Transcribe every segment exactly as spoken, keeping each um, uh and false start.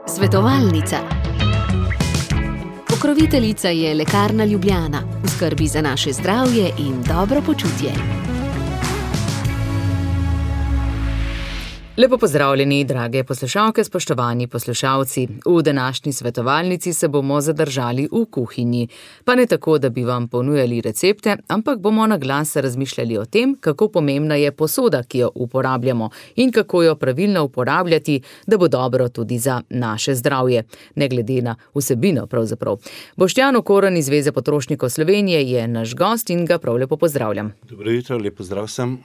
Svetovalnica. Pokroviteljica je Lekarna Ljubljana, v skrbi za naše zdravje in dobro počutje. Lepo pozdravljeni, drage poslušalke, spoštovani poslušalci. V današnji svetovalnici se bomo zadržali v kuhinji. Pa ne tako, da bi vam ponujali recepte, ampak bomo na glas razmišljali o tem, kako pomembna je posoda, ki jo uporabljamo in kako jo pravilno uporabljati, da bo dobro tudi za naše zdravje, ne glede na vsebino pravzaprav. Boštjan Okorn iz Zveze potrošnikov Slovenije je naš gost in ga prav lepo pozdravljam. Dobro jutro, lep pozdrav vsem.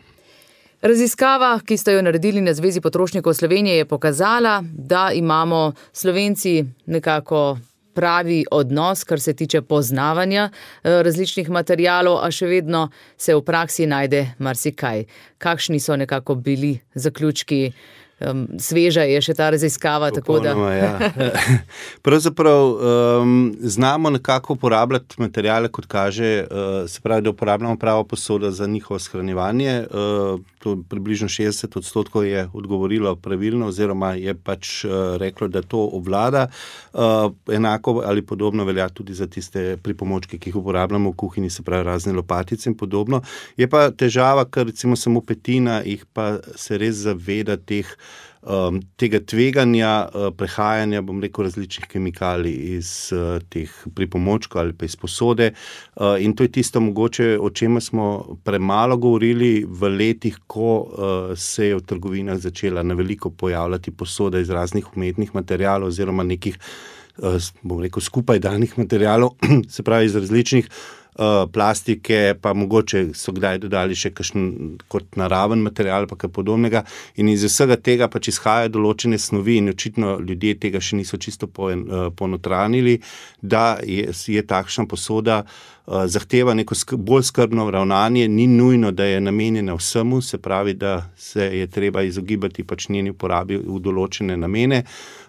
Raziskava, ki ste jo naredili na Zvezi potrošnikov Slovenije, je pokazala, da imamo Slovenci nekako pravi odnos, kar se tiče poznavanja različnih materialov, a še vedno se v praksi najde marsikaj. Kakšni so nekako bili zaključki? Um, sveža je še ta raziskava, tako da... Popolnoma, ja. Pravzaprav um, znamo nekako uporabljati materijale, kot kaže, uh, se pravi, da uporabljamo pravo posodo za njihovo shranjevanje. Uh, to približno šestdeset odstotkov je odgovorilo pravilno, oziroma je pač uh, reklo, da to obvlada. Uh, enako ali podobno velja tudi za tiste pripomočke, ki jih uporabljamo v kuhinji, se pravi razne lopatice in podobno. Je pa težava, ker recimo samo petina jih pa se res zaveda teh Um, tega tveganja uh, prehajanja, bom rekel, različnih kemikalij iz uh, teh pripomočkov ali pa iz posode. Uh, in to je tisto mogoče, o čemer smo premalo govorili v letih, ko uh, se je v trgovinah začela na veliko pojavljati posoda iz raznih umetnih materialov oziroma nekih, uh, bom rekel, skupaj danih materialov, se pravi iz različnih Uh, plastike, pa mogoče so kdaj dodali še kakšen kot naraven material, pa kaj podobnega. In iz vsega tega pač izhajajo določene snovi in očitno ljudje tega še niso čisto ponotranili, da je, je takšna posoda uh, zahteva neko sk- bolj skrbno ravnanje, ni nujno, da je namenjena vsemu, se pravi, da se je treba izogibati pač njeni uporabi v določene namene.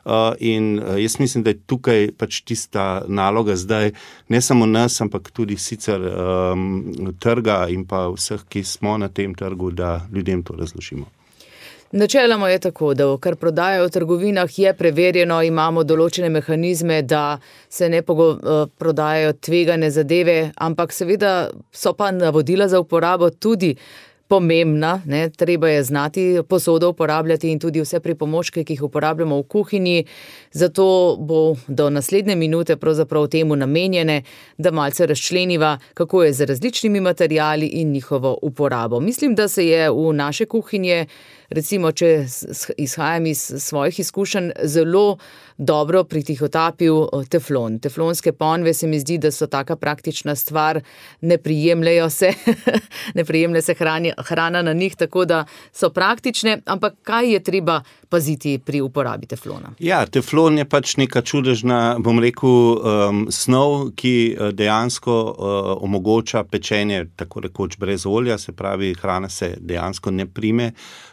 Uh, in uh, jaz mislim, da je tukaj pač tista naloga zdaj, ne samo nas, ampak tudi sicer um, trga in pa vseh, ki smo na tem trgu, da ljudem to razložimo. Načeloma je tako, da kar prodajajo v trgovinah je preverjeno, imamo določene mehanizme, da se ne pogo, prodajajo tvegane zadeve, ampak seveda so pa navodila za uporabo tudi pomembna, ne, treba je znati posodo uporabljati in tudi vse pripomočke, ki jih uporabljamo v kuhinji, zato bo do naslednje minute pravzaprav temu namenjene, da malce razčleniva, kako je z različnimi materiali in njihovo uporabo. Mislim, da se je v naše kuhinje, recimo, če izhajam iz svojih izkušenj, zelo dobro pritihotapil teflon. Teflonske ponve se mi zdi, da so taka praktična stvar, ne prijemljajo se, ne prijemlja se hrani, hrana na njih, tako da so praktične, ampak kaj je treba paziti pri uporabi teflona? Ja, teflon je pač neka čudežna, bom rekel, um, snov, ki dejansko uh, omogoča pečenje tako rekoč brez olja, se pravi, hrana se dejansko ne prime.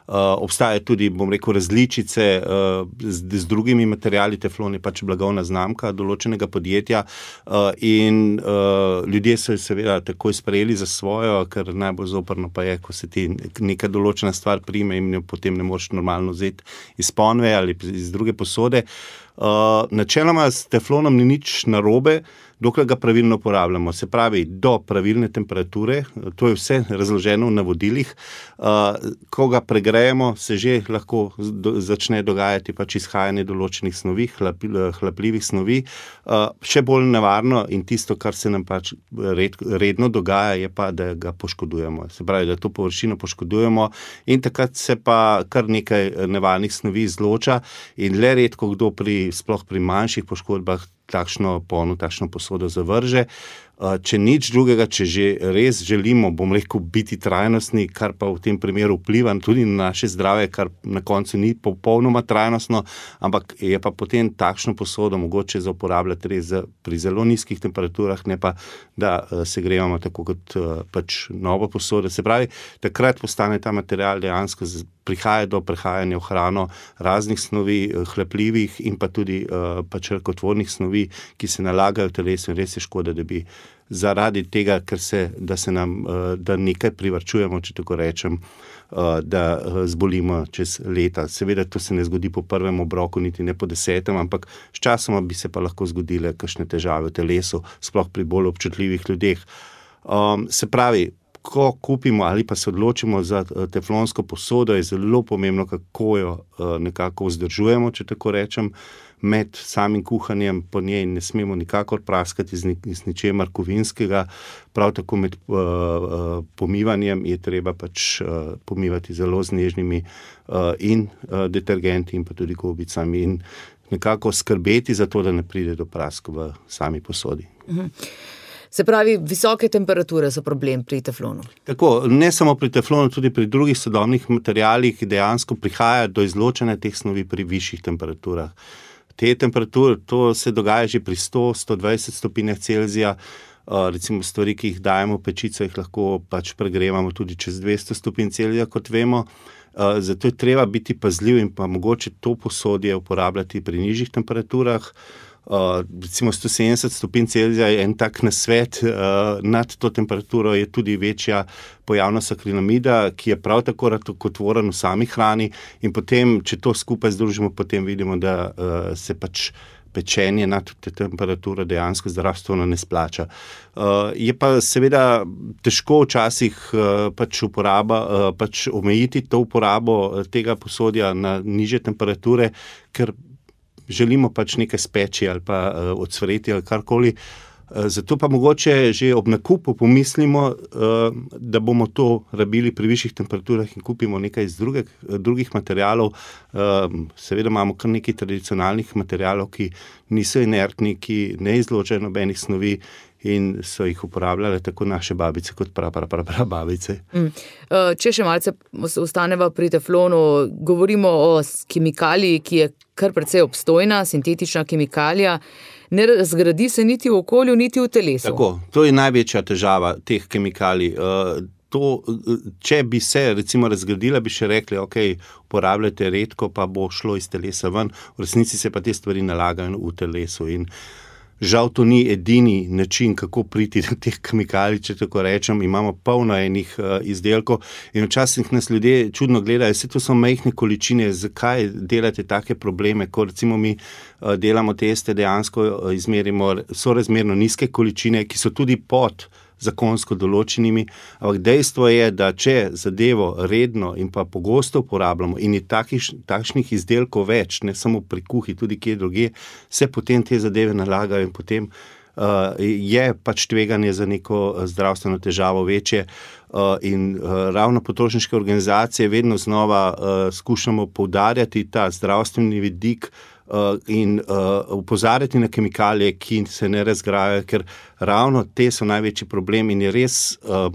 Uh, obstaja tudi, bom rekel, različice uh, z, z drugimi materiali. Teflon je pač blagovna znamka določenega podjetja uh, in uh, ljudje so jo seveda takoj sprejeli za svojo, ker najbolj zoprno pa je, ko se ti neka določena stvar prime in jo potem ne moreš normalno vzeti iz ponve ali iz druge posode. Uh, načeloma s teflonom ni nič narobe, dokler ga pravilno uporabljamo. Se pravi, do pravilne temperature, to je vse razloženo v navodilih. Uh, ko ga pregrejemo, se že lahko do, začne dogajati pač izhajanje določenih snovi, hlap, hlapljivih snovi. Uh, še bolj nevarno in tisto, kar se nam pač red, redno dogaja, je pa, da ga poškodujemo. Se pravi, da to površino poškodujemo in takrat se pa kar nekaj nevarnih snovi izloča in le redko kdo pri sploh pri manjših poškodbah takšno pono, takšno posodo zavrže. Če nič drugega, če že res želimo, bom rekel, biti trajnostni, kar pa v tem primeru vpliva tudi na naše zdravje, kar na koncu ni popolnoma trajnostno, ampak je pa potem takšno posodo mogoče za uporabljati res pri zelo nizkih temperaturah, ne pa, da se grevamo tako kot pač novo posodo. Se pravi, takrat postane ta material dejansko prihaja do prehajanja v hrano raznih snovi, hlepljivih in pa tudi pač rakotvornih snovi, ki se nalagajo v telesu in res je škoda, da bi zaradi tega, ker se, da se nam, da nekaj privarčujemo, če tako rečem, da zbolimo čez leta. Seveda to se ne zgodi po prvem obroku, niti ne po desetem, ampak sčasoma bi se pa lahko zgodile kakšne težave v telesu, sploh pri bolj občutljivih ljudeh. Um, se pravi, ko kupimo ali pa se odločimo za teflonsko posodo, je zelo pomembno, kako jo nekako vzdržujemo, če tako rečem. Med samim kuhanjem po njej ne smemo nikakor praskati z, ni, z ničemer kovinskega, prav tako med uh, uh, pomivanjem je treba pač uh, pomivati zelo z nežnimi uh, in uh, detergenti in pa tudi gobicami in nekako skrbeti za to, da ne pride do prask v sami posodi. Mhm. Se pravi, visoke temperature so problem pri teflonu. Tako, ne samo pri teflonu, tudi pri drugih sodobnih materialih dejansko prihaja do izločanja teh snovi pri višjih temperaturah. Te temperature, to se dogaja že pri sto do sto dvajset stopinjah Celzija, uh, recimo stvari, ki jih dajemo v pečico, jih lahko pač pregrevamo tudi čez dvesto stopinj Celzija, kot vemo. Uh, zato je treba biti pazljiv in pa mogoče to posodje uporabljati pri nižjih temperaturah. Uh, recimo sto sedemdeset stopinj Celzija je en tak nasvet, uh, nad to temperaturo je tudi večja pojavnost akrilamida, ki je prav tako rakotvoren v sami hrani in potem, če to skupaj združimo, potem vidimo, da uh, se pač pečenje nad te temperature dejansko zdravstveno ne splača. Uh, je pa seveda težko včasih uh, pač uporaba, uh, pač omejiti to uporabo tega posodja na nižje temperature, ker želimo pač nekaj speči ali pa uh, odsvreti ali karkoli. Uh, zato pa mogoče že ob nakupu pomislimo, uh, da bomo to rabili pri višjih temperaturah in kupimo nekaj iz druge, drugih materialov. Uh, seveda imamo kar nekaj tradicionalnih materialov, ki niso inertni, ki ne izločajo nobenih snovi in so jih uporabljale tako naše babice kot pra, pra, pra, pra babice. Mm. Če še malce ostaneva pri teflonu, govorimo o kemikaliji, ki je kar precej obstojna, sintetična kemikalija, ne razgradi se niti v okolju, niti v telesu. Tako, to je največja težava teh kemikalij. To, če bi se recimo razgradila, bi še rekli, ok, uporabljate redko, pa bo šlo iz telesa ven, v resnici se pa te stvari nalagajo v telesu in žal to ni edini način, kako priti do teh kemikalij, če tako rečem. Imamo polno enih uh, izdelkov in včasih nas ljudje čudno gledajo, vse to so majhne količine, zakaj delate take probleme, ko recimo mi uh, delamo teste, dejansko uh, izmerimo sorazmerno nizke količine, ki so tudi pod zakonsko določenimi, ampak dejstvo je, da če zadevo redno in pa pogosto uporabljamo in je takih, takšnih izdelkov več, ne samo pri kuhi, tudi kje druge, se potem te zadeve nalagajo in potem uh, je pač tveganje za neko zdravstveno težavo večje uh, in uh, ravno potrošniške organizacije vedno znova uh, skušamo poudarjati ta zdravstveni vidik Uh, in uh, upozarjati na kemikalije, ki se ne razgrajajo, ker ravno te so največji problem in je res, uh,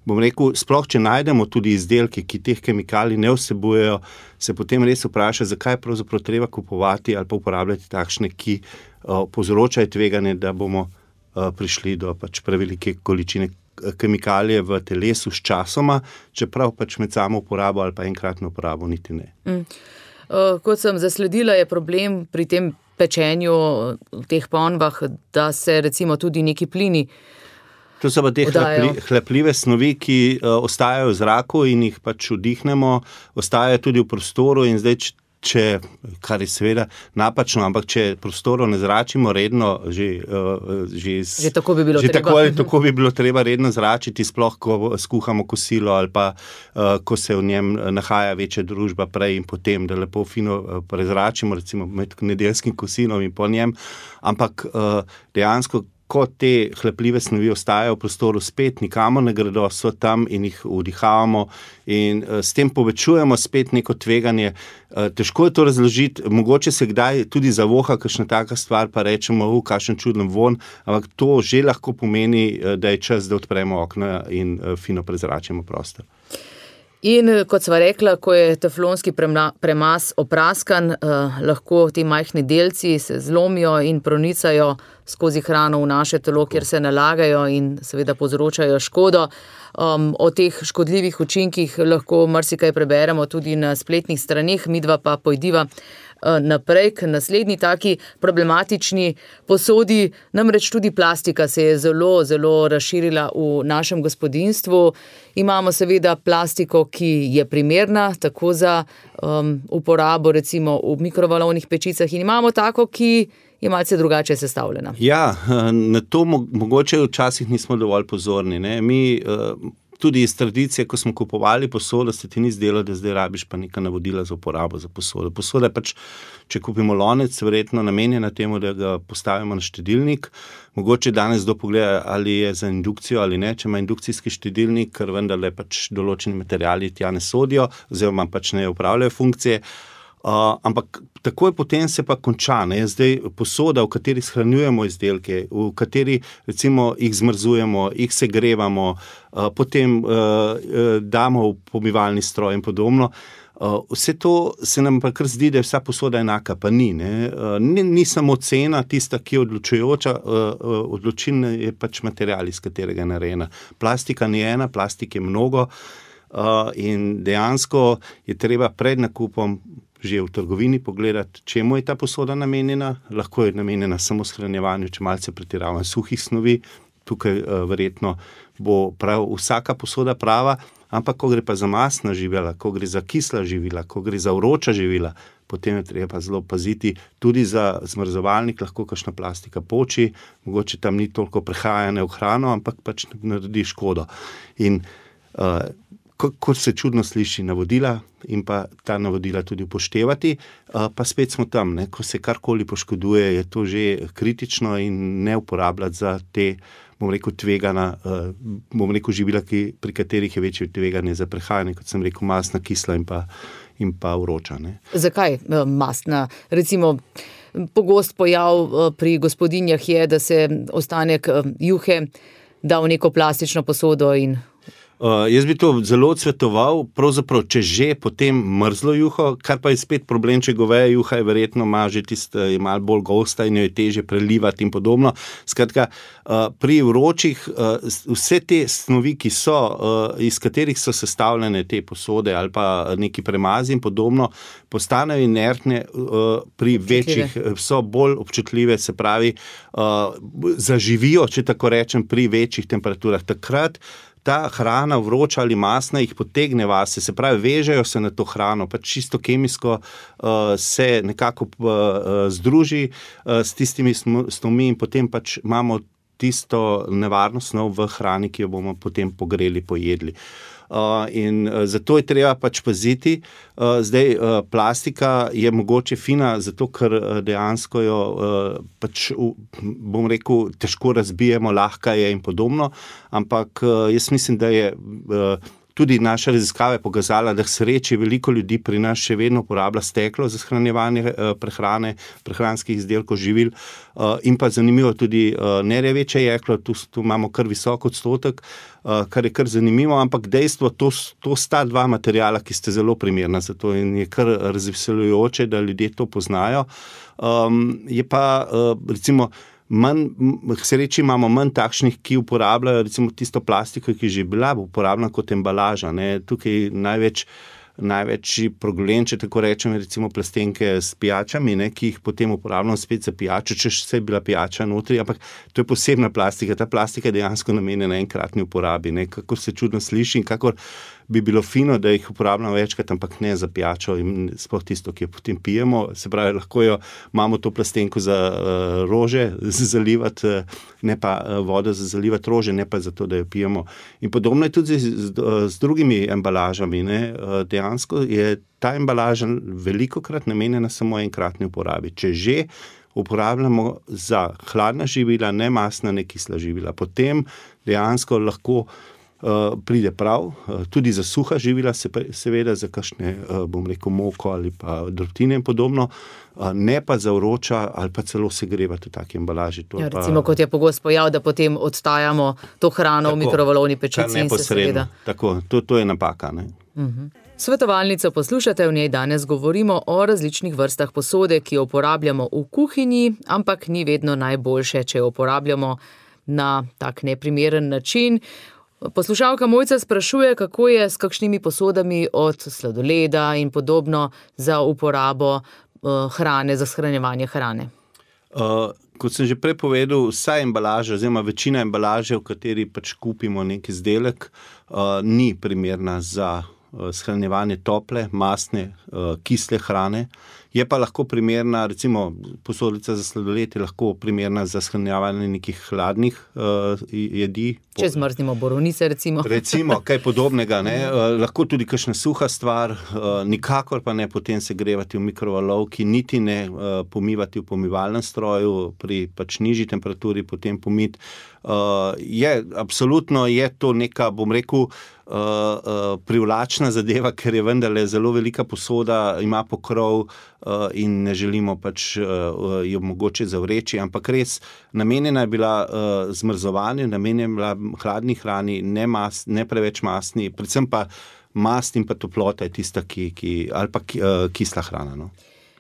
bom rekel, sploh če najdemo tudi izdelke, ki teh kemikalij ne vsebujejo, se potem res vpraša, zakaj je pravzaprav treba kupovati ali pa uporabljati takšne, ki uh, povzročajo tveganje, da bomo uh, prišli do pač prevelike količine kemikalije v telesu s časoma, čeprav pač med samo uporabo ali pa enkratno uporabo niti ne. Mm. Kot sem zasledila, je problem pri tem pečenju v teh ponvah, da se recimo tudi neki plini To so pa te hlepli, hlepljive snovi, ki uh, ostajajo v zraku in jih pač vdihnemo, ostajajo tudi v prostoru in zdaj, če, kar je seveda napačno, ampak če prostorov ne zračimo redno, že, uh, že, že tako bi bilo že treba. Tako, tako bi bilo treba redno zračiti, sploh ko skuhamo kosilo ali pa uh, ko se v njem nahaja večja družba prej in potem, da lepo fino uh, prezračimo, recimo med nedeljskim kosilom in po njem, ampak uh, dejansko ko te hlepljive snovi ostajajo v prostoru, spet nikamor ne gredo, so tam in jih vdihavamo in uh, s tem povečujemo spet neko tveganje. Uh, težko je to razložiti, mogoče se kdaj tudi zavoha kakšna taka stvar, pa rečemo, v kakšen čuden von, ampak to že lahko pomeni, uh, da je čas, da odpremo okna in uh, fino prezračimo prostor. In kot sva rekla, ko je teflonski premaz opraskan, eh, lahko ti majhni delci se zlomijo in pronicajo skozi hrano v naše telo, kjer se nalagajo in seveda povzročajo škodo. Um, o teh škodljivih učinkih lahko marsikaj preberemo tudi na spletnih straneh, midva pa pojdiva naprej k naslednji taki problematični posodi. Namreč tudi plastika se je zelo, zelo razširila v našem gospodinjstvu. Imamo seveda plastiko, ki je primerna tako za um, uporabo recimo v mikrovalovnih pečicah in imamo tako, ki je malce drugače sestavljena. Ja, na to mogoče včasih nismo dovolj pozorni. Ne? Mi tudi iz tradicije, ko smo kupovali posodo, se ti ni zdelo, da zdaj rabiš pa neka navodila za uporabo za posodo. Posoda je pač, če kupimo lonec, verjetno namenjena temu, da ga postavimo na štedilnik. Mogoče danes kdo pogleda, ali je za indukcijo ali ne, če ima indukcijski štedilnik, ker vendarle pač določeni materiali tja ne sodijo, oziroma pač ne upravljajo funkcije. Uh, ampak takoj potem se pa konča, ne, zdaj posoda, v kateri shranjujemo izdelke, v kateri recimo jih zmrzujemo, jih segrevamo, uh, potem uh, uh, damo v pomivalni stroj in podobno. Uh, vse to se nam pa kar zdi, da je vsa posoda enaka, pa ni. Ne, uh, ni, ni samo cena tista, ki je odločujoča, uh, uh, odločilna je pač material, iz katerega je narejena. Plastika ni ena, plastik je mnogo uh, in dejansko je treba pred nakupom že v trgovini pogledati, čemu je ta posoda namenjena. Lahko je namenjena samo shranjevanju, če malce pretiravam suhih snovi. Tukaj uh, verjetno bo prav vsaka posoda prava, ampak ko gre pa za masna živila, ko gre za kisla živila, ko gre za vroča živila, potem je treba pa zelo paziti. Tudi za zmrzovalnik lahko kakšna plastika poči, mogoče tam ni toliko prehajanja v hrano, ampak pač naredi škodo. In uh, kot se čudno sliši, navodila in pa ta navodila tudi upoštevati, pa spet smo tam, ne? Ko se karkoli poškoduje, je to že kritično in ne uporabljati za te, bom rekel, tvegana, bom rekel, živila, ki, pri katerih je večje tveganje za prehajanje, kot sem rekel, masna, kisla in pa, in pa vroča. Ne? Zakaj masna? Recimo, pogost pojav pri gospodinjah je, da se ostanek juhe da v neko plastično posodo in Uh, jaz bi to zelo odsvetoval, pravzaprav, če že potem mrzlo juho, kar pa je spet problem, če goveja juha je verjetno ima že tiste, je malo bolj gosta in jo je teže prelivati in podobno. Skratka, uh, pri vročih uh, vse te snovi, ki so, uh, iz katerih so sestavljene te posode ali pa neki premazi in podobno, postanejo inertne, uh, pri večjih so bolj občutljive, se pravi, uh, zaživijo, če tako rečem, pri večjih temperaturah. Takrat ta hrana vroča ali masna jih potegne vase, se pravi, vežejo se na to hrano, pač čisto kemijsko uh, se nekako uh, združi uh, s tistimi snovmi in potem pač imamo tisto nevarno snov v hrani, ki jo bomo potem pogreli, pojedli. Uh, in uh, zato je treba pač paziti. Uh, zdaj, uh, plastika je mogoče fina, zato ker uh, dejansko jo uh, pač, uh, bom rekel, težko razbijemo, lahka je in podobno, ampak uh, jaz mislim, da je uh, tudi naša raziskava je pokazala, da k sreči veliko ljudi pri nas še vedno uporablja steklo za shranjevanje uh, prehrane, prehranskih izdelkov, živil uh, in pa zanimivo tudi uh, nerjaveče jeklo, tu, tu imamo kar visok odstotek, uh, kar je kar zanimivo, ampak dejstvo, to, to sta dva materijala, ki ste zelo primerna za to in je kar razveseljujoče, da ljudje to poznajo. Um, je pa uh, recimo manj, k sreči imamo manj takšnih, ki uporabljajo recimo tisto plastiko, ki je že bila uporabljena kot embalaža. Ne. Tukaj največ, največji problem, če tako rečem, recimo plastenke s pijačami, ne, ki jih potem uporabljamo spet za pijačo, če še je bila pijača notri, ampak to je posebna plastika. Ta plastika je dejansko namenjena enkratni uporabi, ne. Kako se čudno sliši in kakor bi bilo fino, da jih uporabljamo večkrat, ampak ne za pijačo in sploh tisto, ki jo potem pijemo. Se pravi, lahko jo imamo to plastenko za uh, rože za zalivati, ne pa uh, vodo za zalivati rože, ne pa za to, da jo pijemo. In podobno je tudi z, z, z drugimi embalažami. Ne? Uh, dejansko je ta embalaža velikokrat namenjena samo enkratni uporabi. Če že uporabljamo za hladna živila, ne masna, ne kisla živila, potem dejansko lahko Uh, pride prav, uh, tudi za suha živila, se, seveda za kakšne, uh, bom rekel, moko ali pa drobtine in podobno, uh, ne pa za vroča ali pa celo segrevati v taki embalaži. To ja, pa, recimo, kot je pogost pojav, da potem odtajamo to hrano tako, v mikrovalovni pečici in se seveda. Tako, to, to je napaka. Ne? Uh-huh. Svetovalnico poslušate, v njej danes govorimo o različnih vrstah posode, ki jo uporabljamo v kuhinji, ampak ni vedno najboljše, če jo uporabljamo na tak neprimeren način. Poslušalka Mojca sprašuje, kako je s kakšnimi posodami od sladoleda in podobno za uporabo hrane, za shranjevanje hrane? Uh, kot sem že prej povedal, vsa embalaža, oziroma večina embalaže, v kateri pač kupimo nek izdelek, uh, ni primerna za uh, shranjevanje tople, mastne, uh, kisle hrane. Je pa lahko primerna, recimo posodica za sladoled je lahko primerna za shranjevanje nekih hladnih uh, jedi. Če zmrznimo borovnice, recimo. Recimo, kaj podobnega. Ne? Uh, lahko tudi kakšna suha stvar, uh, nikakor pa ne potem segrevati v mikrovalovki, niti ne uh, pomivati v pomivalnem stroju, pri pač nižji temperaturi potem pomiti. Uh, je, absolutno je to neka, bom rekel, Uh, uh, privlačna zadeva, ker je vendarle zelo velika posoda, ima pokrov uh, in ne želimo pač uh, jo mogoče zavreči, ampak res namenjena je bila uh, zmrzovanju, namenjena je bila hladni hrani, ne, mas, ne preveč masni, predvsem pa mast in pa toplota je tista, ki, ki, ali pa uh, kisla hrana. No.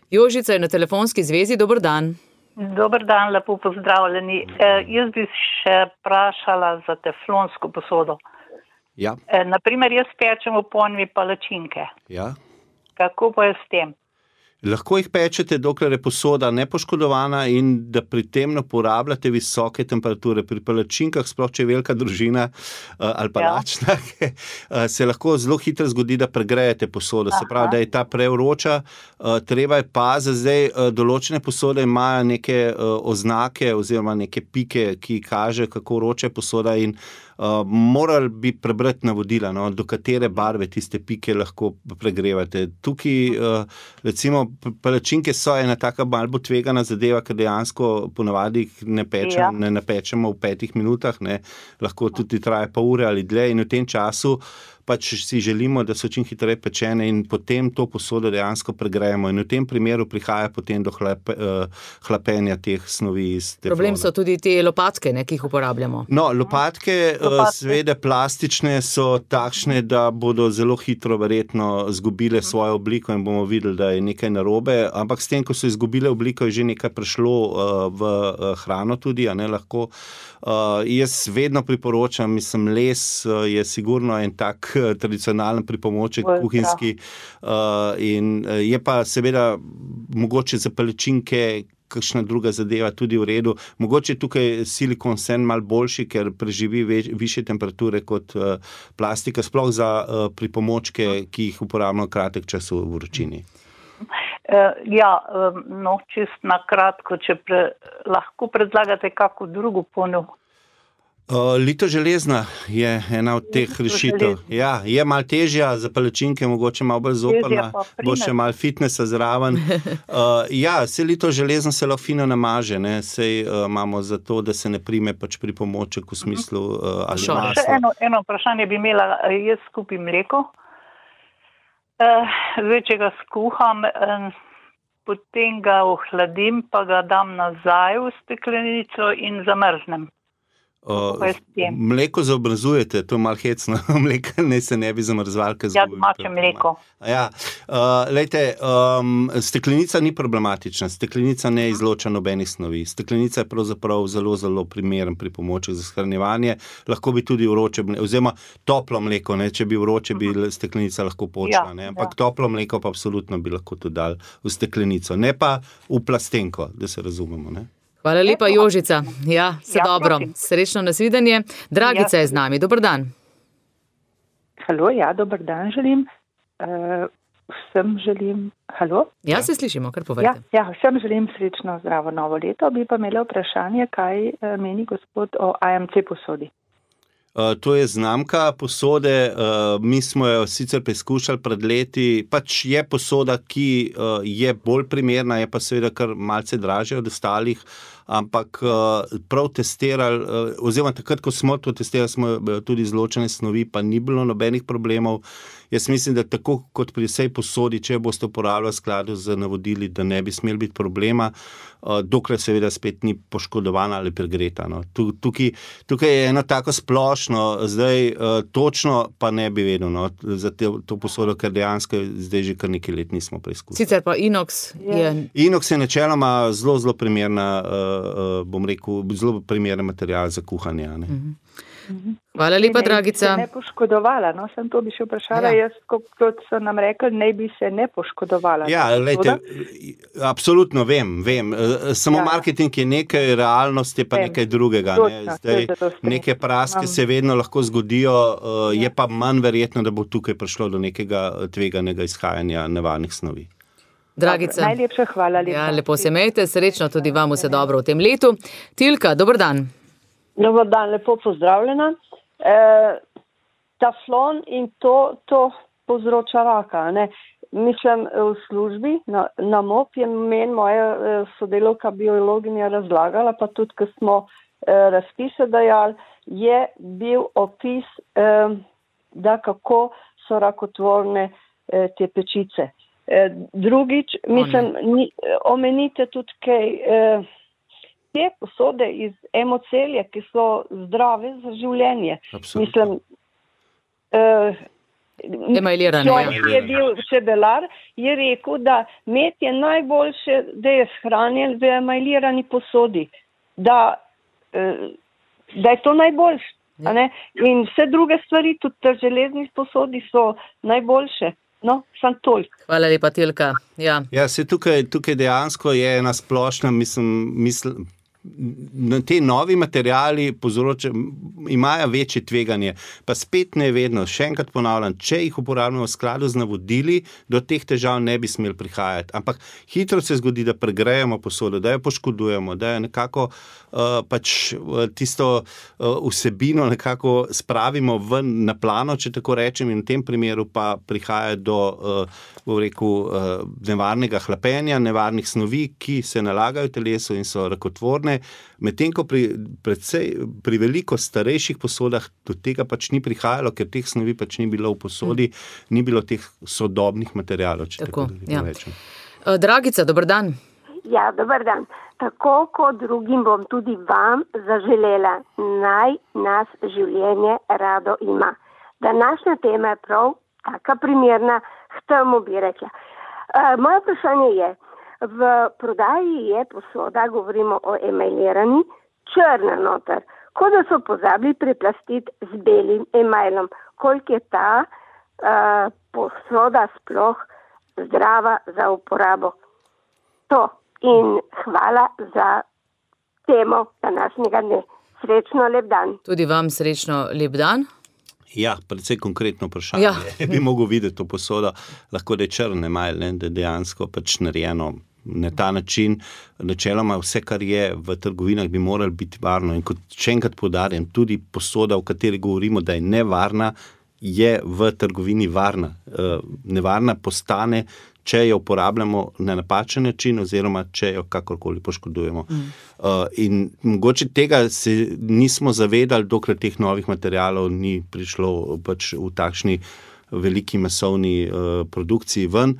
Jožica je na telefonski zvezi, dober dan. Dober dan, lepo pozdravljeni. E, jaz bi še vprašala za teflonsko posodo. Ja. E, naprimer, jaz pečem v ponvi palačinke. Ja. Kako pa je s tem? Lahko jih pečete, dokler je posoda nepoškodovana in da pri tem ne uporabljate visoke temperature. Pri palačinkah, sploh če je velika družina uh, ali palačna, ja. uh, se lahko zelo hitro zgodi, da pregrejete posodo. Aha. Se pravi, da je ta prevroča. Uh, treba je paziti, zdaj uh, določene posode imajo neke uh, oznake oziroma neke pike, ki kaže, kako vroča je posoda in Uh, morali bi prebrati navodila, no, do katere barve tiste pike lahko pregrevate. Tukaj, uh, recimo, palačinke so ena taka malo bo tvegana zadeva, ker dejansko ponavadi ne, pečem, ja. ne napečemo v petih minutah, ne, lahko tudi traje pa ure ali dlje in v tem času pač si želimo, da so čim hitreje pečene in potem to posodo dejansko pregrejemo in v tem primeru prihaja potem do hlep, uh, hlapenja teh snovi iz teflona. Problem so tudi te lopatke, ne, ki jih uporabljamo. No, lopatke, uh, seveda plastične so takšne, da bodo zelo hitro verjetno zgubile svojo obliko in bomo videli, da je nekaj narobe, ampak s tem, ko so izgubile obliko, je že nekaj prešlo uh, v uh, hrano tudi, a ne lahko. Uh, jaz vedno priporočam, mislim, les uh, je sigurno en tak uh, tradicionalen pripomoček Vojka. kuhinjski uh, in uh, je pa seveda mogoče za palačinke kakšna druga zadeva tudi v redu. Mogoče tukaj silikon sen mal boljši, ker preživi več, više temperature kot uh, plastika, sploh za uh, pripomočke, ki jih uporabljamo kratek čas v vročini. Uh, ja, um, no, čist na kratko, če pre, lahko predlagate kako drugo ponev. Uh, lito železna je ena od teh rešitev. Ja, je malo težja, za palačinke mogoče malo bolj zoprna, bo še malo fitnessa zraven. Uh, ja, se lito železna se lahko fino namaže, ne, sej uh, imamo za to, da se ne prime pač pripomoček v smislu uh, ali maslo. Še eno, eno vprašanje bi imela, jaz skupim mleko. Uh, zdaj, če ga skuham, uh, potem ga ohladim, pa ga dam nazaj v steklenico in zamrznem. Uh, mleko zaobrazujete, to je malo hecno, mleka ne se ne bi zamrzval. Ja, domače mleko. Ja, uh, lejte, um, steklenica ni problematična, steklenica ne izloča nobenih snovi. Steklenica je pravzaprav zelo, zelo primeren pripomoček za shranjevanje. Lahko bi tudi vroče mleko, oziroma toplo mleko, ne? Če bi vroče, bi steklenica lahko počela, ja, ne? Ampak ja. Toplo mleko pa absolutno bi lahko tudi dal v steklenico, ne pa v plastenko, da se razumemo, ne? Hvala lepa, Jožica. Ja, vse ja, dobro. Prosim. Srečno nasvidenje. Dragica ja. je z nami. Dobar dan. Halo, ja, dobar dan želim. Uh, vsem želim... Halo? Ja, se slišimo, kar povedate. Ja, ja, vsem želim srečno zdravo novo leto. Bi pa imela vprašanje, kaj uh, meni gospod o A M C posodi. Uh, to je znamka posode, uh, mi smo jo sicer preizkušali pred leti, pač je posoda, ki uh, je bolj primerna, je pa seveda kar malce dražja od ostalih, ampak uh, prav testirali, uh, oziroma takrat, ko smo to testirali, smo tudi izločene snovi, pa ni bilo nobenih problemov. Jaz mislim, da tako kot pri vsej posodi, če boste uporabljali v skladu z navodili, da ne bi smel biti problema, uh, dokler seveda spet ni poškodovana ali pregreta. No. Tukaj, tukaj je eno tako splošno, zdaj uh, točno pa ne bi vedel, no, za te, to posodo, ker dejansko zdaj že kar nekaj let nismo preizkusili. Sicer pa inox je... Inox je načeloma zelo, zelo primerna, uh, uh, bom rekel, zelo primeren material za kuhanje. Ne. Mhm. Hvala lepa, Dragica. Ne bi se ne poškodovala, no, sem to bi še vprašala, ja. Jaz, kot so nam rekli, ne bi se ne poškodovala. Ja, lejte, absolutno vem, vem. Samo ja. Marketing je nekaj, realnost je pa vem. Nekaj drugega. Ne? Zdaj, neke praske se vedno lahko zgodijo, je pa manj verjetno, da bo tukaj prišlo do nekega tveganega izhajanja nevarnih snovi. Dragica. Najlepša hvala. Lepa. Ja, lepo se imejte, srečno tudi vam vse dobro v tem letu. Tilka, dober dan. Dobar dan, lepo pozdravljena. E, taflon in to, to povzroča raka. Ne? Mislim, v službi na, na M O P je meni moja sodelovka biologinja razlagala, pa tudi, ko smo e, razpise dajali, je bil opis, e, da kako so rakotvorne e, te pečice. E, drugič, mislim, ni, omenite tudi kaj... E, te posode iz emocelje, ki so zdrave za življenje. Absolutno. Mislim, uh, emailirane. Ki je bil čebelar, je rekel, da med je najboljše, da je shranjen v emailirani posodi. Da, uh, da je to najboljše. Ja. Ne? In vse druge stvari, tudi te železnih posodi so najboljše. No, sem toliko. Hvala lepa, Tilka. Ja, ja se tukaj, tukaj dejansko je ena splošna, mislim, mislim te novi materiali povzroča, imajo večje tveganje, pa spet ne vedno, še enkrat ponavljam, če jih uporabljamo v skladu z navodili, do teh težav ne bi smeli prihajati, ampak hitro se zgodi, da pregrejemo posodo, da jo poškodujemo, da jo nekako uh, pač tisto uh, vsebino nekako spravimo ven na plano, če tako rečem, in v tem primeru pa prihaja do uh, bom rekel, uh, nevarnega hlapenja, nevarnih snovi, ki se nalagajo v telesu in so rakotvorne. Medtem ko pri, predvsej, pri veliko starejših posodah do tega pač ni prihajalo, ker teh snovi pač ni bilo v posodi, mm. ni bilo teh sodobnih materialov, če tako, tako ja. rečem. Dragica, dober dan. Ja, dober dan. Tako kot drugim bom tudi vam zaželela, naj nas življenje rado ima. Današnja tema je prav taka primerna, k temu bi rekla. Uh, moje vprašanje je, v prodaji je posoda, govorimo o emailirani, črna noter, kot da so pozabili preplastiti z belim emailom. Koliko je ta uh, posoda sploh zdrava za uporabo? To. In hvala za temo današnjega dne. Srečno, lep dan. Tudi vam srečno, lep dan. Ja, predvsej konkretno vprašanje. Ja. Bi mogel videti to posodo, lahko da je črn email, da je dejansko pač narejeno na ta način. Načeloma vse, kar je v trgovinah, bi moralo biti varno. In kot še enkrat poudarjam, tudi posoda, o kateri govorimo, da je nevarna, je v trgovini varna. Nevarna postane, če jo uporabljamo na napačen način oziroma če jo kakorkoli poškodujemo. Mm. In mogoče tega se nismo zavedali, dokler teh novih materialov ni prišlo pač v takšni veliki masovni uh, produkciji ven,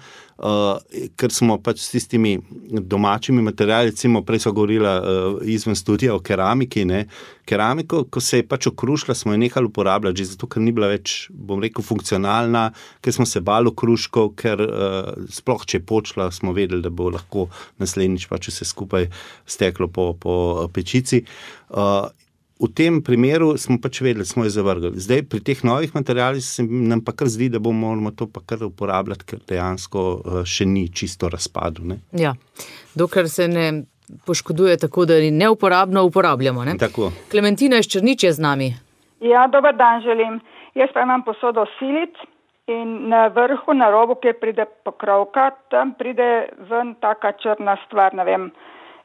uh, ker smo pač s tistimi domačimi materiali, recimo prej so govorila uh, izven studija o keramiki, ne, keramiko, ko se je pač okrušila, smo jo nehali uporabljati, že zato, ker ni bila več, bom rekel, funkcionalna, ker smo se bali okruškov, ker uh, sploh, če je počla, smo vedeli, da bo lahko naslednjič pač vse skupaj steklo po, po pečici. Uh, V tem primeru smo pač vedeli, smo jo zavrgli. Zdaj, pri teh novih materialih se nam pa kar zdi, da bomo moramo to pa kar uporabljati, ker dejansko še ni čisto razpadu. Ne? Ja, dokler se ne poškoduje tako, da neuporabno uporabljamo. Ne? Tako. Klementina iz Črnič je z nami. Ja, dober dan želim. Jaz pa imam posodo silit in na vrhu, na robu, kjer pride pokrovka, tam pride ven taka črna stvar, ne vem,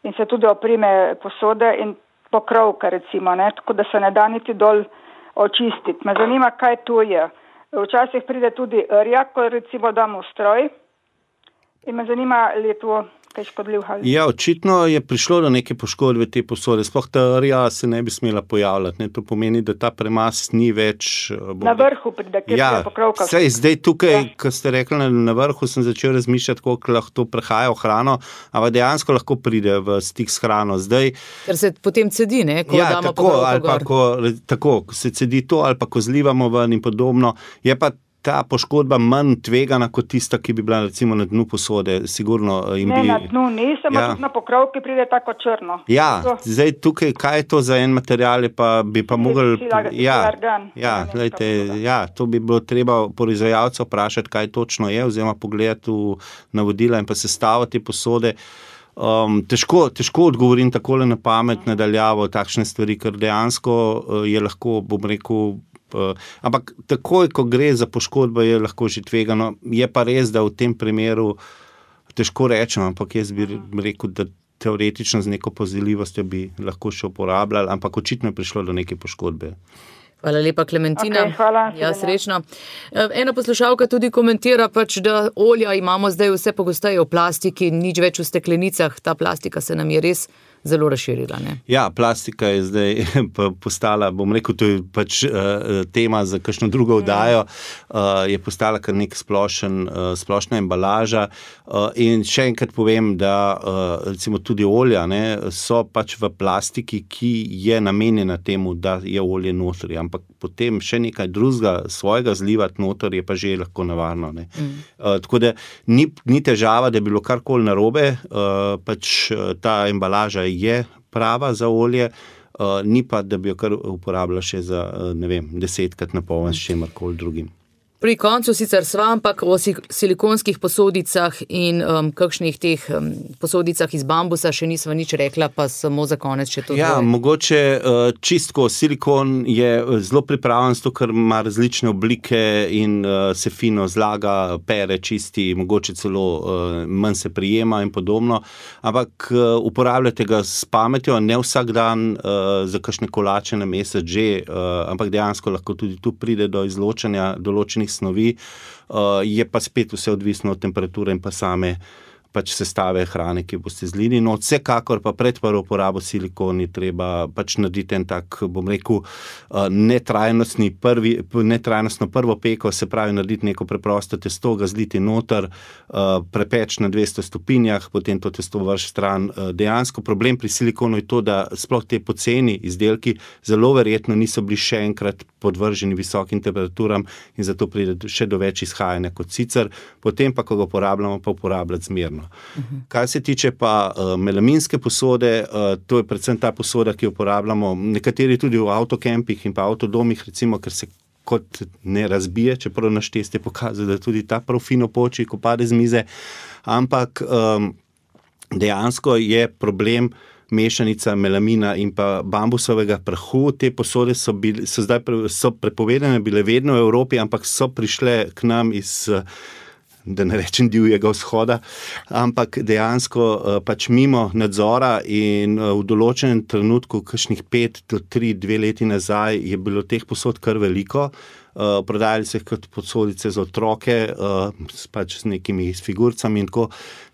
in se tudi oprime posode in pokrovka recimo, ne, tako da se ne da niti dol očistiti. Me zanima, kaj tu je. Včasih pride tudi rja, ko recimo dam v stroj in me zanima, ali je to kaj škodljiv. Ja, očitno je prišlo do neke poškodbe te posode. Sploh ta rja se ne bi smela pojavljati. Ne. To pomeni, da ta premaz ni več... Na vrhu pride, kjer ja, je pokrovka. Sej, zdaj tukaj, ja. Ko ste rekli, na, na vrhu sem začel razmišljati, koliko lahko to prehaja v hrano, ampak dejansko lahko pride v stik s hrano. Zdaj, ker se potem cedi, ne? Ko ja, damo tako, pokrovko ali pa, gor. ko, tako, ko se cedi to, ali pa ko zlivamo ven in podobno. Je pa ta poškodba manj tvegana kot tista, ki bi bila recimo na dnu posode. Sigurno jim Ne, bi... na dnu nisem, Ja. ja. tudi na pokrovki pride tako črno. Ja, To- zdaj tukaj, kaj je to za en material, je pa bi pa mogli... silar- Ja, silargan, ja, nemška glejte, posoda. ja, to bi bilo treba proizvajalca vprašati, kaj točno je, oziroma pogledati v navodila in pa sestavo te posode. Um, težko, težko odgovorim takole na pamet, nadaljavo takšne stvari, ker dejansko uh, je lahko, bom rekel, uh, ampak takoj, ko gre za poškodbo, je lahko že tvegano. Je pa res, da v tem primeru težko rečem, ampak jaz bi rekel, da teoretično z neko pozivljivostjo bi lahko še uporabljali, ampak očitno je prišlo do neke poškodbe. Hvala lepa, Klementina. Okej, hvala, Ja, Helena. srečno. Ena poslušalka tudi komentira, pač, da olja imamo zdaj vse pogosteje v plastiki, nič več v steklenicah. Ta plastika se nam je res zelo razširila. Ne? Ja, plastika je zdaj pa postala, bom rekel, to je pač uh, tema za kakšno drugo oddajo, uh, je postala kar nek splošen, uh, splošna embalaža. Uh, in še enkrat povem, da uh, recimo tudi olja ne, so pač v plastiki, ki je namenjena temu, da je olje notri, ampak potem še nekaj drugega svojega zlivati noter je pa že lahko nevarno. Ne. Mm. Uh, tako da ni, ni težava, da je bilo karkoli narobe, uh, pač uh, ta embalaža je prava za olje, uh, ni pa, da bi jo kar uporabljala še za, uh, ne vem, desetkrat na poln s čemarkoli drugim. Pri koncu sicer sva, ampak o si- silikonskih posodicah in um, kakšnih teh um, posodicah iz bambusa še nisva nič rekla, pa samo za konec še to Ja, dvoje. mogoče uh, čistko, silikon je zelo pripravljen, zato ker ima različne oblike in uh, se fino zlaga, pere, čisti, mogoče celo uh, manj se prijema in podobno, ampak uh, uporabljate ga s pametjo, ne vsak dan uh, za kakšne kolače na mesec že, uh, ampak dejansko lahko tudi tu pride do izločanja določenih snovi, uh, je pa spet vse odvisno od temperature in pa same pač sestave hrane, ki boste zlili. No, vsekakor pa pred prvo uporabo silikon je treba pač narediti en tak, bom rekel, netrajnostni prvi, netrajnostno prvo peko, se pravi narediti neko preprosto testo, ga zliti noter, prepeč na dvesto stopinjah, potem to testo vrš stran. Dejansko problem pri silikonu je to, da sploh te poceni izdelki zelo verjetno niso bili še enkrat podvrženi visokim temperaturam in zato pride še do več izhajanja kot sicer. Potem pa, ko ga uporabljamo, pa uporabljati zmerno. Uh-huh. Kar se tiče pa uh, melaminske posode, uh, to je predvsem ta posoda, ki jo uporabljamo nekateri tudi v avtokempih in pa avtodomih, recimo, ker se kot ne razbije, čeprav naš test je pokazal, da tudi ta prav fino poči, ko pade z mize, ampak um, dejansko je problem mešanica melamina in pa bambusovega prahu. Te posode so, bili, so zdaj pre, so prepovedane, bile vedno v Evropi, ampak so prišle k nam iz, da ne rečem divjega vzhoda, ampak dejansko pač mimo nadzora in v določenem trenutku, kakšnih pet do tri, dve leti nazaj, je bilo teh posod kar veliko. Uh, prodajali se kot posodice za otroke, uh, pač s nekimi figurcami in tako.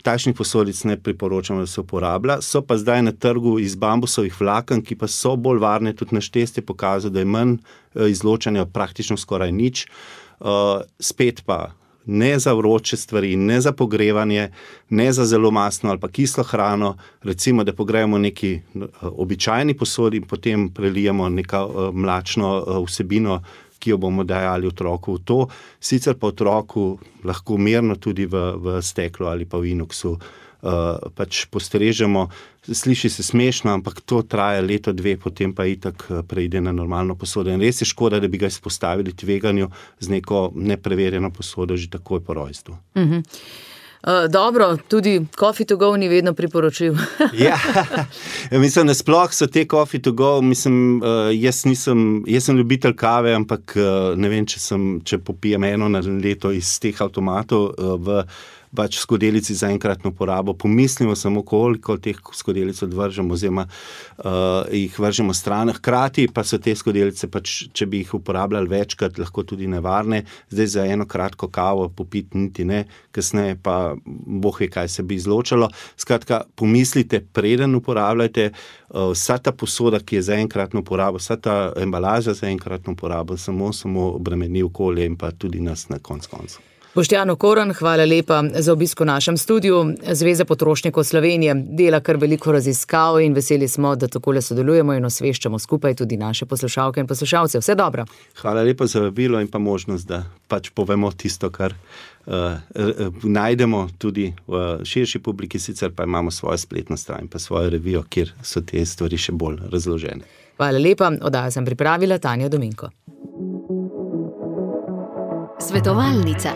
Takšnih posodic ne priporočamo, da se uporablja. So pa zdaj na trgu iz bambusovih vlaken, ki pa so bolj varne, tudi naš test je pokazal, da je manj uh, izločanja, praktično skoraj nič. Uh, spet pa ne za vroče stvari, ne za pogrevanje, ne za zelo mastno ali pa kislo hrano, recimo, da pogrejemo neki uh, običajni posodi in potem prelijemo neka uh, mlačno uh, vsebino, ki jo bomo dajali otroku v to, sicer pa otroku lahko mirno tudi v, v steklu ali pa v inoksu uh, pač postrežemo. Sliši se smešno, ampak to traja leto, dve, potem pa itak preide na normalno posodo. In res je škoda, da bi ga izpostavili tveganju z neko nepreverjeno posodo že takoj po rojstvu. Mhm. Uh, dobro, tudi coffee to go ni vedno priporočil. Ja, mislim, da sploh so te coffee to go, mislim, uh, jaz nisem, jaz sem ljubitelj kave, ampak uh, ne vem, če, sem, če popijem eno na leto iz teh avtomatov uh, v pač skodelici za enkratno porabo. Pomislimo samo, koliko teh skodelic odvržemo, oziroma uh, jih vržemo stran. Hkrati pa so te skodelice, pač, če bi jih uporabljali večkrat, lahko tudi nevarne. Zdaj za eno kratko kavo popiti niti ne, kasneje pa boh ve, kaj se bi izločalo. Skratka, pomislite, preden uporabljajte uh, vsa ta posoda, ki je za enkratno porabo, vsa ta embalaža za enkratno porabo, samo, samo obremeni okolje in pa tudi nas na konc koncu. Boštjan Okorn, hvala lepa za obisk v našem studiu. Zveza potrošnikov Slovenije dela kar veliko raziskav in veseli smo, da takole sodelujemo in osveščamo skupaj tudi naše poslušalke in poslušalce. Vse dobro. Hvala lepa za vabilo in pa možnost, da pač povemo tisto, kar uh, najdemo tudi v širši publiki, sicer pa imamo svojo spletno stran in pa svojo revijo, kjer so te stvari še bolj razložene. Hvala lepa, oddajo sem pripravila Tanja Dominko. Svetovalnica.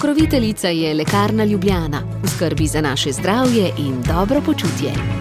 Pokroviteljica je Lekarna Ljubljana, v skrbi za naše zdravje in dobro počutje.